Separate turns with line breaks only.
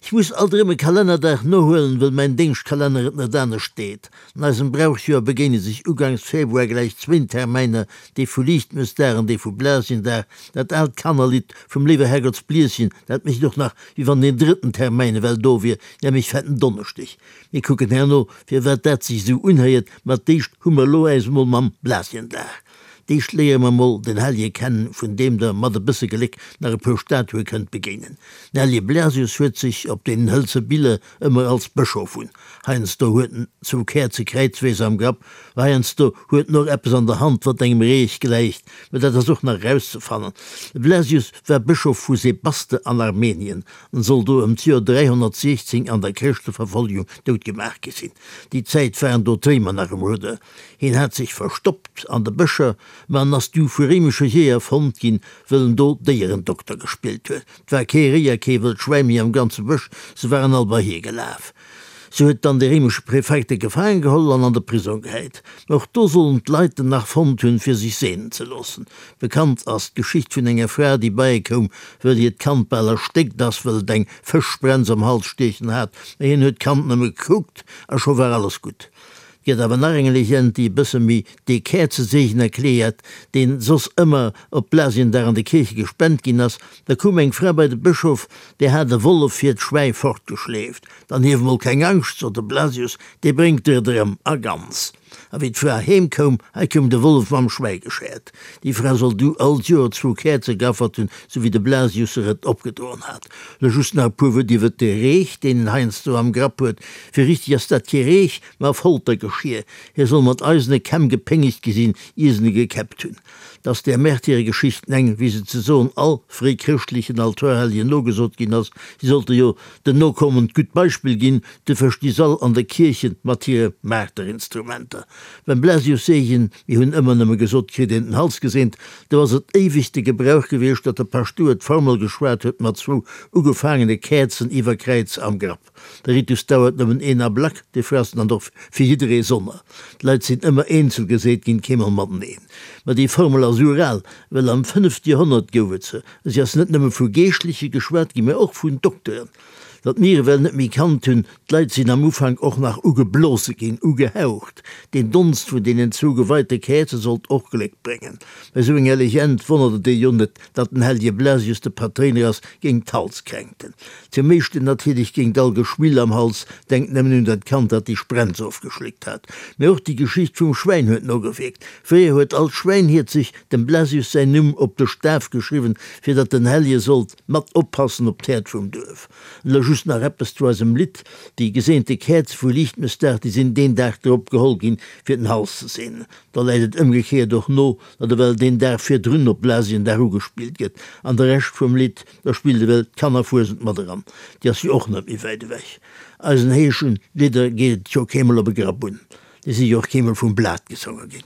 Ech muss alt erëm e Kalennerdag nohuelen, wëll mäin Déngschtkalenner et net anescht deet. An eisem Brauchsjoer begéine sech ugangs Februar gläich zwéin Termäiner, dee vu Liichtmëssdag an dee vu Blasiendag. Dat aalt Kannerlidd vum Léiwer Herrgottsblieschen, dat mécht och nach, wéi wann deen drëtten Termäin ewell do wier, nämlech Fetten Donneschdeg. Mir kucken herno, firwat dat sech esou unhéiert, ma d'éischt hu mer elo äis emol mam Blasiendag. D'éischt léiere mer mol den Hellje kennen, vun deem der mat e bësse Gléck nach e puer Statue kënnt begéinen. Den Hellje Blasius huet sech op deenen hëlze Biller ëmmer als Bëschof un. Heiansdo huet en zwou Käerze kräizwees am Grapp, ma heiansdo huet en och eppes an der Hand, wat engem Reech gläicht, mä dat ass och nach erauszefannen. De Blasius war Bëschof vu Sebaste an Armenien an soll do ëm d'Joer 316 an der Chrëschteverfollegung doutgemaach gi sinn. Déi Zäit waren do d'Réimer nach um Rudder. Hien hat sech verstoppt an de Bëscher, ma en ass du vu réimesche Jeeër fonnt ginn, wëll en do Déierendokter gespillt huet. 't war kee Réi a kee wëllt Schwäi méi am ganze Bësch, se waren all bei hie gelaf. Sou huet dann de réimesche Prefekt e gefaange geholl an an de Prisong gehäit. Ma och do sollen d'Leit en nach fonnt hunn, fir sech seenen ze loossen. Bekannt ass d'Geschicht vun enger Fra, déi bei e koum, wëll hiert Kand bal erstéckt ass, wëll et eng Fëschsprenz am Hals stiechen hat. Ma hien huet d'Kand nëmme gekuckt a scho war alles gutt. 't gëtt awer nach eng Legend, déi e bësse méi dee Käerzeseegen erkläert, deen soss ëmmer op Blasiendag an de Kierche gespent ginn ass. Da koum eng Fra bei de Bëschof, där hat e Wollef hiert Schwäi fortgeschleeft. Dann hief mol keng Angscht, sot de Blasius, dee bréngt der et erëm a ganz. A wéi d'Fra heem koum, hei koum de Wollef mam Schwäi geschäert. Déi Fra soll du all d'Joer zwou Käerze geaffert hunn, sou wéi de Blasius se et opgedoen hat. Lo just nach e puer Wuert iwwert de Reech, deen en heiansdo am Grapp huet. Fir richteg ass dat kee Reech, ma Foltergeschier. Hie soll mat eisene Kämm gepéngegt gi sinn, ier se e gekäppt hunn. 't ass där Märtyregeschichten eng, wéi se ze soen all fréichrëschtlechen Altorhellegen nogesot ginn ass. Si sollte jo den Nokommen d'gutt Beispill ginn, duerfir sti s'all an de Kierchen mat hire Marterinstrumenter. Beim Blasiusseegen, mir hunn ëmmer nëmme gesot, kritt een den Hals geseent, do ass et éiweg de Gebrauch gewiescht, datt de Paschtouer d'Formel geschwat huet mat zwou ugefaangene Käerzen iwwer Kräiz am Grapp. De Ritus dauert nëmmen een Ablack, dofir ass en dann och fir jidderee sonner. D'Leit sinn ëmmer eenzel geseet ginn, keemol mateneen. Ma déi Formel ass ural, well am fënnefte Joerhonnert gouf et se. Si ass net nëmme vu Geeschtleche geschwat ginn, mä och vun Dokteren. Datt mir ewell net méi kannt hunn, d'Leit sinn am Ufank och nach ugeblose ginn, ugehaucht. Deen Donst vun deenen zwou geweite Käerze sollt och Gléck bréngen. Bei sou enger Legend wonnert et ee jo net, datt den Hellege Blasius de Patréiner ass géint d'Halskränkten. Zum meeschten natierlech géint all Geschwill am Hals, denkt nëmmen un dat Kand, dat déi Sprenz ofgeschléckt hat. Mä och déi Geschicht vum Schwäin huet nogewierkt. Fréier huet all Schwäinhiert sech dem Blasius säin Numm op de Staf geschriwwen, fir datt den Hellje sollt mat oppassen op d'Häerd vum Duerf. An elo just nach eppes zu eisem Lidd, Déi geseente Käerze vu Liichtmëssdag, déi sinn deen Dag drop geholl ginn, fir den Hals ze seenen. Da läit et ëmgekéiert och no, datt ewell deen Dag virdrun op Blasiendag ugespillt gëtt. An de Rescht vum Lidd, da spillt ewell d'Kannerfuesent mat eran. Déi ass jo och net méi wäit ewech. Eisen heeschen Lidder geet et jo keemol op e Grapp un. Déi si jo och keemol vum Blat gesonge ginn.